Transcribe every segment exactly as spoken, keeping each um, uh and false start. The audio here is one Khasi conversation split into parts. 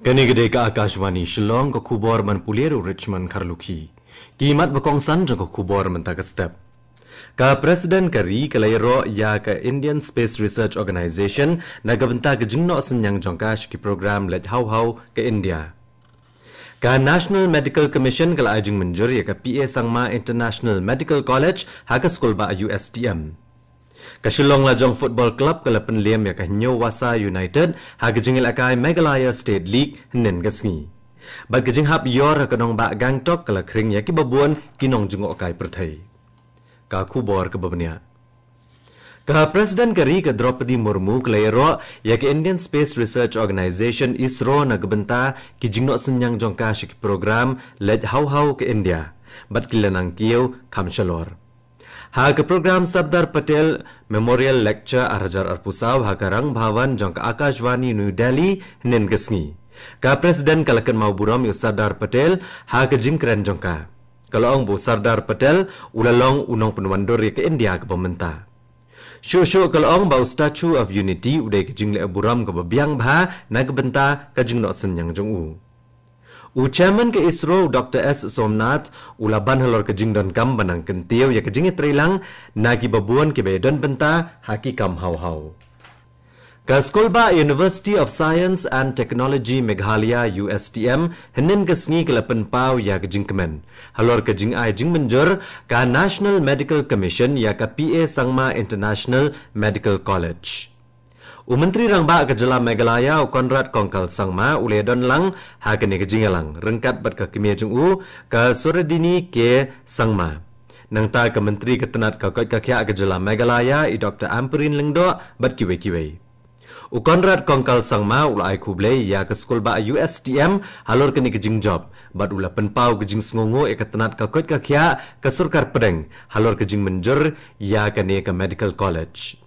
Kane ka dei ka Akashvani Shillong, ka khubor ban pule da u Richmond Kharlukhi. Ki mat ba kongsan jong ka khubor mynta ka step. Ka President ka ri ka la ïaroh ïa ka Indian Space Research Organization na ka bynta ka jingnoh synñiang jong ka sha ki program leit haw haw ka India. Ka National Medical Commission ka la ai jingmynjur ïa ka P A Sangma International Medical College ha ka skulbah U S T M. Ka Shillong Lajong Football Club ka la pynliem ïa ka Hynñiewwasa United ha ka jingïalehkai Meghalaya State League hynnin ka sngi. Bad ka jinghap ïor ha ka nongbah Gangtok ka la khring ïa ki babun ki nongjngohkai pyrthei. Ka khubor kaba bniah. Ka President ka ri ka Droupadi Murmu ka la ïaroh ïa ka Indian Space Research Organization, ISRO, na ka bynta ki jingnoh synñiang jong ka sha ki program leit haw haw ka India bad ki la nang kiew kham shalor. Ha ka program Sardar Patel Memorial Lecture ar hajar arphew saw ha ka Rang Bhavan jong ka Akashvani New Delhi hynnin ka sngi, ka President ka la kynmaw burom ïa u Sardar Patel ha ka jingkren jong ka. Ka la ong ba u Sardar Patel u la long u nongpynwandur ïa ka India kaba mynta. Shuh shuh ka la ong ba u Statue of Unity u dei ka jingleh burom kaba biang bha na ka bynta ka jingnoh synñiang jong u. U Chairman ka ISRO, u Doctor S Somnath, u la ban halor ka jingdonkam ban nang kyntiew ïa ka jingïatreilang na ki babun kiba ïadon bynta ha ki kam haw haw. Ka skulbah University of Science and Technology Meghalaya, U S T M, hynnin ka sngi ka la pynpaw ïa ka jingkmen halor ka jingai jingmynjur ka National Medical Commission ïa ka P A Sangma International Medical College. U Myntri Rangbah ka Jylla Meghalaya, u Conrad Kongkal Sangma, u la ïadon lang ha kane ka jingïalang ryngkat bad ka kmie jong u, ka Suhridini K Sangma. Nangta ka Myntri ka tnat ka koit ka khiah ka Jylla Meghalaya, i Doctor Ampareen Lyngdoh, bad kiwei kiwei. U Conrad Kongkal Sangma u la ai khublei ïa ka skulbah U S T M halor kane ka jingjop bad u la pynpaw ka jingsngewnguh ïa ka tnat ka koit ka khiah ka sorkar pdeng halor ka jingmynjur ïa kane ka Medical College.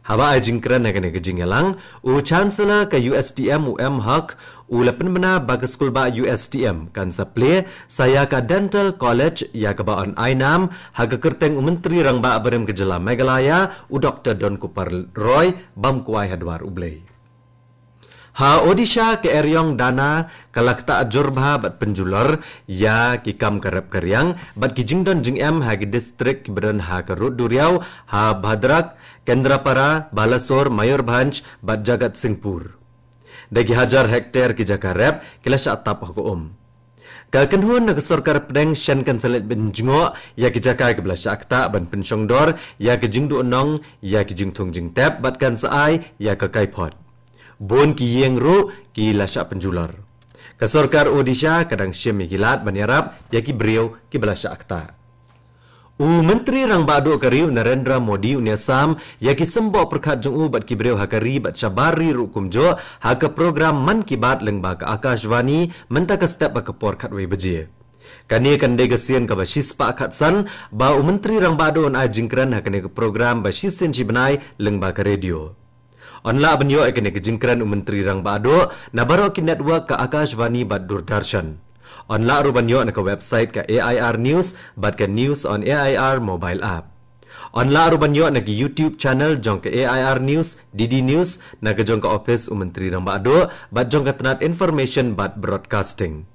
Haba ai jingkren ha kane ka jingïalang, u Chancellor ka U S T M, u M Haq, u la pynbna ba ka skulbah U S T M kan sa plie sa ïa ka Dental College ïa kaba yn ai nam ha ka kyrteng u Myntri Rangbah barim ka Jylla Meghalaya, u Doctor Donkupar Roy, bam kwai ha dwar U Blei. Ha Odisha, ka eriong Dana ka la ktah jur bha bad pynjulor ïa ki kam ka rep ka riang bad ki jingdon jingem ha ki distrik kiba don ha ka rud duriaw ha Bhadrak, Kendrapara, Balasore, Mayurbhanj bad Jagatsinghpur. Da ki hajar hektar ki jaka rep ki la shah tap ha ka um. Ka kynhun na ka sorkar pdeng shen kan sa leit pynjngoh ïa ki jaka kiba la shah ktah ban pynshongdor ïa ki jingduhnong ïa ki jingthung jingtep bad kan sa ai ïa ka kaiphod. Bun ki ïing ruh ki la shah pynjulor. Ka sorkar Odisha ka dang shim ïa ki lad ban ïarap ïa ki briew kiba la shah ktah. U Myntri Rangbah Duh ka ri u Narendra Modi un ïasam ïa ki symboh pyrkhat jong u bad ki briew ha ka ri bad shabar ri ruh kumjuh ha ka program Mann Ki Baat lyngba ka Akashvani mynta ka step ha ka por khatwei baje. Kane kan dei ka sien kaba shispah khatsan ba u Myntri Rangbah Duh un ai jingkren ha kane ka program ba shisien shibnai lyngba ka radio. Yn lah ban ïoh ïa kane ka jingkren u Myntri Rangbah Duh na baroh ki network ka Akashvani bad Doordarshan. Yn lah ruh ban ïoh na ka website ka A I R News bad ka News on A I R mobile app. Yn lah ruh ban ïoh na ki YouTube channel jong ka A I R News, D D News, na ka jong ka office u Myntri Rangbah Duh bad jong ka tnat Information bad Broadcasting.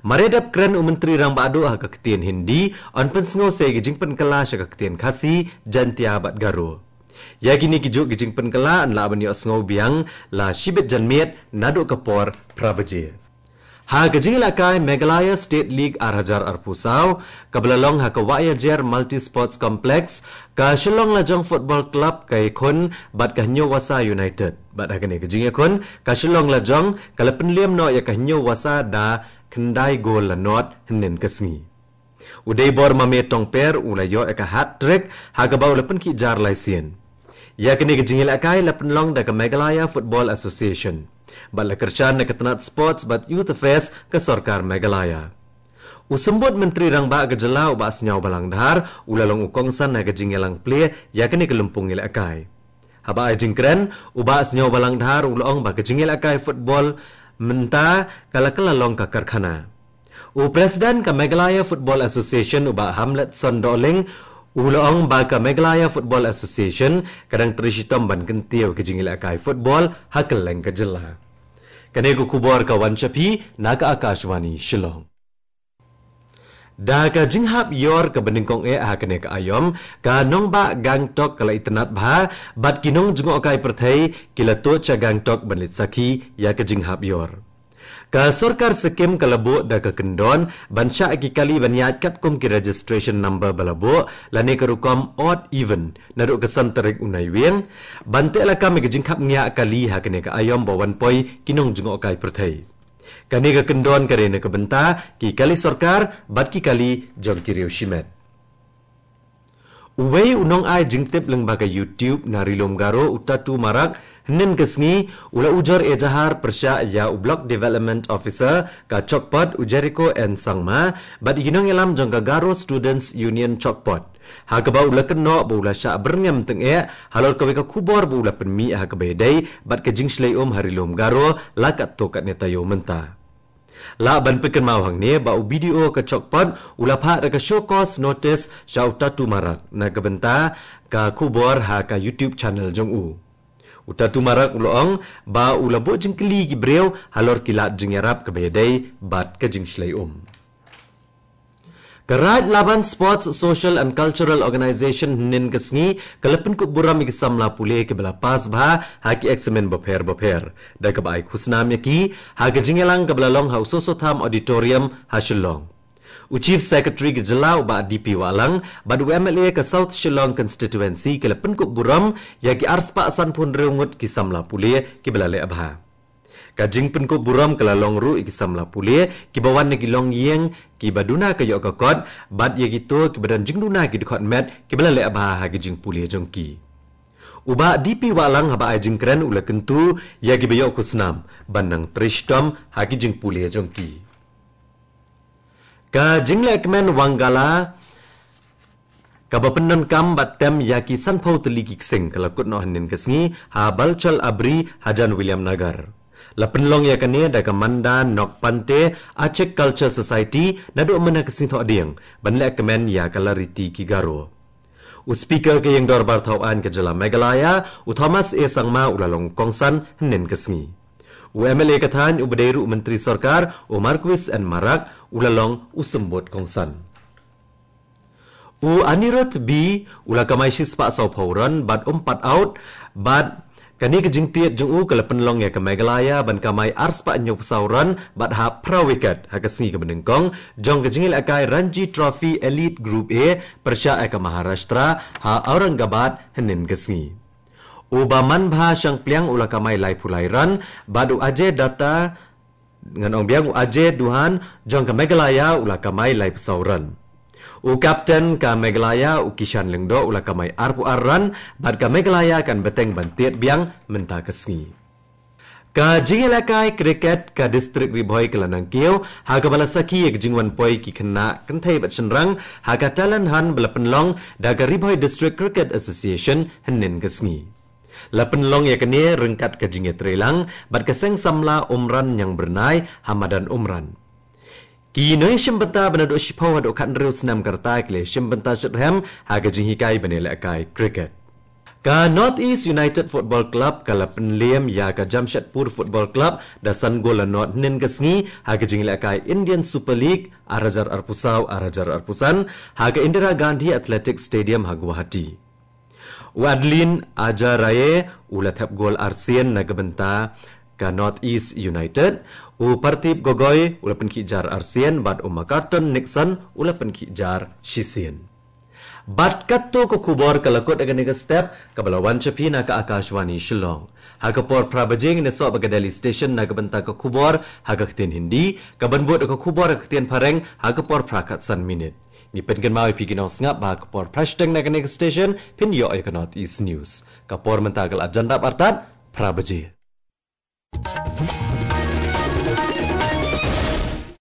Mar ïa dep kren u Myntri Rangbah Duh ha ka ktien Hindi, yn pynsngew sa ïa ki jingpynkylla sha ka ktien Khasi, Jaintia bad Garo. Ïa kine ki juh ki jingpynkylla yn lah ban ïohsngew biang la shibit janmiet naduh ka por phra baje. Ha ka jingïalehkai Meghalaya State League ar hajar arphew saw, kaba la long ha ka Wahiajer Multi Sports Complex, ka Shillong Lajong Football Club ka ïakhun bad ka Hynñiewwasa United. Bad ha kane ka jingïakhun, ka Shillong Lajong ka la pynliem noh ïa ka Hynñiewwasa da khyndai gol la nod hynnin ka sngi. U Deibor Mame Tongper u la ïoh ïa ka hat-trick ha kaba u la pynkhih jar lai sien. Ïa kane ka jingïalehkai la pynlong da ka Meghalaya Football Association bad la kyrshan da ka tnat Sports bad Youth Affairs ka sorkar Meghalaya. U Symbud Myntri Rangbah ka jylla u Bah Sniawbhalang Dhar u la long u kongsan ha ka jingïalang plie ïa kane ka lympung ïalehkai. Haba ai jingkren, u Bah Sniawbhalang Dhar u la ong ba ka jingïalehkai football mynta ka la kylla long ka karkhana. U President ka Meghalaya Football Association u Bah Hamletson Dohling u la ong ba ka Meghalaya Football Association ka dang trei shitom ban kyntiew ka jingïalehkai football ha kylleng ka jylla. Kane ka khubor ka wan sha phi na ka Akashvani Shillong. Da ka jinghap ïor kaba nyngkong eh ha kane ka aïom, ka nongbah Gangtok ka la itynnad bha, bad ki nongjngohkai pyrthei ki la tuid sha Gangtok ban leit sakhi ïa ka jinghap ïor. Ka sorkar Sikkim ka la buh da ka kyndon ban shah ki kali ban ïaid katkum ki registration number ba la buh, lane ka rukom odd even, naduh ka san tarik u Naiwieng, ban teh lakam ïa ka jingkhapngiah kali ha kane ka aïom ba wan poi ki nongjngohkai pyrthei. Kane ka kyndon ka dei na ka bynta ki kali sorkar bad ki kali jong ki riew shimet. Uwei u nongai jingtip lyngba ka YouTube na Ri Lum Garo, u Tatu Marak, hynnin ka sngi u la ujor ejahar pyrshah ïa u Block Development Officer ka Chokpot, u Jericho N Sangma, bad ïa ki nongïalam jong ka Garo Students Union Chokpot, ha kaba u la kynnoh ba u la shah byrngem tyngeh halor kawei ka khubor ba u la pynmih ha kaba ïadei bad ka jingshlei um ha Ri Lum Garo la katto katne taïew mynta. Lah ban pynkynmaw hangne ba u BDO ka Chokpot u la phah da ka show cause notice sha u Tatu Marak na ka bynta ka khubor ha ka YouTube channel jong u. U Tatu Marak u la ong ba u la buh jingkylli ki briew halor ki lad jingïarap kaba ïadei bad ka jingshlei um. Ka Raid Laban Sports Social and Cultural Organization hynnin ka sngi ka la pynkup burom ïa ki samla pule kiba la pass bha ha ki eksamin bapher bapher, da kaba ai khusnam ïa ki ha ka jingïalang kaba la long ha u Soso Tham Auditorium ha Shillong. U Chief Secretary ka jylla, u Bah D P Wahlang, bad u MLA ka South Shillong Constituency ki la pynkup burom ïa ki arspah sanphew hynriew ngut ki samla pule kiba la leh bha. Ka jingpynkup burom ka la long ruh ïa ki samla pule kiba wan na ki longïing kiba duna ka ïoh ka kot, bad ïa kito kiba don jingduna ki dkhot met kiba la leh bha ha ki jingpule jong ki. U Bah D P Wahlang haba ai jingkren u la kyntu ïa kiba ïoh khusnam ban nang trei shitom ha ki jingpule jong ki. Ka jinglehkmen Wangala kaba pyndonkam bad tem ïa ki sanphew tylli ki ksing ka la kut noh hynnin ka sngi ha Balchal Abri hajan Williamnagar. La pynlong ïa kane da ka Manda Nok Pante Achik Culture Society naduh mynne ka Sngi Thohdieng ban lehkmen ïa ka lariti ki Garo. U Speaker ka Ïing Dorbar Thawaiñ ka jylla Meghalaya, u Thomas A Sangma u la long kongsan hynnin ka sngi. U MLA ka thaiñ uba dei ruh u Myntri Sorkar, u Marcuise N Marak, u la long u symbud kongsan. U Anirudh B u la kamai shispah sawphew run bad um pat out, bad kane ka jingtied jong u ka la pynlong ïa ka Meghalaya ban kamai arspah hynñiewphew saw run bad hap phra wicket ha ka sngi kaba nyngkong jong ka jingïalehkai Ranji Trophy Elite Group A pyrshah ïa ka Maharashtra ha Aurangabad hynnin ka sngi. U Bah Manbha Shangpliang u la kamai laiphew lai run bad u Ajay Datta, ngan ong biang, u Ajay Dughan jong ka Meghalaya u la kamai laiphew saw run. U captain ka Meghalaya, u Kishan Lyngdoh, u la kamai arphew ar run bad ka Meghalaya kan bteng ban tied biang mynta ka sngi. Ka jingïalehkai cricket ka District Ri Bhoi ka la nang kiew ha kaba la sakhi ïa ka jingwan poi ki khynnah kynthei bad shynrang ha ka talent hunt ba la pynlong da ka Ri Bhoi District Cricket Association hynnin ka sngi. La pynlong ïa kane ryngkat ka jingïatreilang bad ka seng samla Umran Ñiangbyrnai ha madan Umran. Ki nongïashim bynta ba naduh shiphew haduh khathynriew snem ka rta ki la shim bynta shitrhem ha ka jinghikai ban ïalehkai cricket. Ka North East United Football Club ka la pynlem ïa ka Jamshedpur Football Club da san gol la nod hynnin ka sngi ha ka jingïalehkai Indian Super League ar hajar arphew saw ar hajar arphew san ha ka Indira Gandhi Athletic Stadium ha Guwahati. U Adeline Ajaraye u la thep gol arsien na ka bynta ka North East United, u Partip Gogoi u la pynkhih jar arsien bad u Macarton Nixon u la pynkhih jar shisien. Bad katto ka khubor ka la kut ha kane ka step kaba la wan sha phi na ka Akashvani Shillong. Ha ka por phra baje ngin ïasoh bad ka Delhi Station na ka bynta ka khubor ha ka ktien Hindi, kaban bud ka khubor ha ka ktien Phareng ha ka por phra khatsan minit. Ngi pynkynmaw ïa phi ki nongsngap ba ha ka por phra shiteng na kane ka station phin ïoh ïa ka North East News. Ka por mynta ka la jan dap artat phra baje.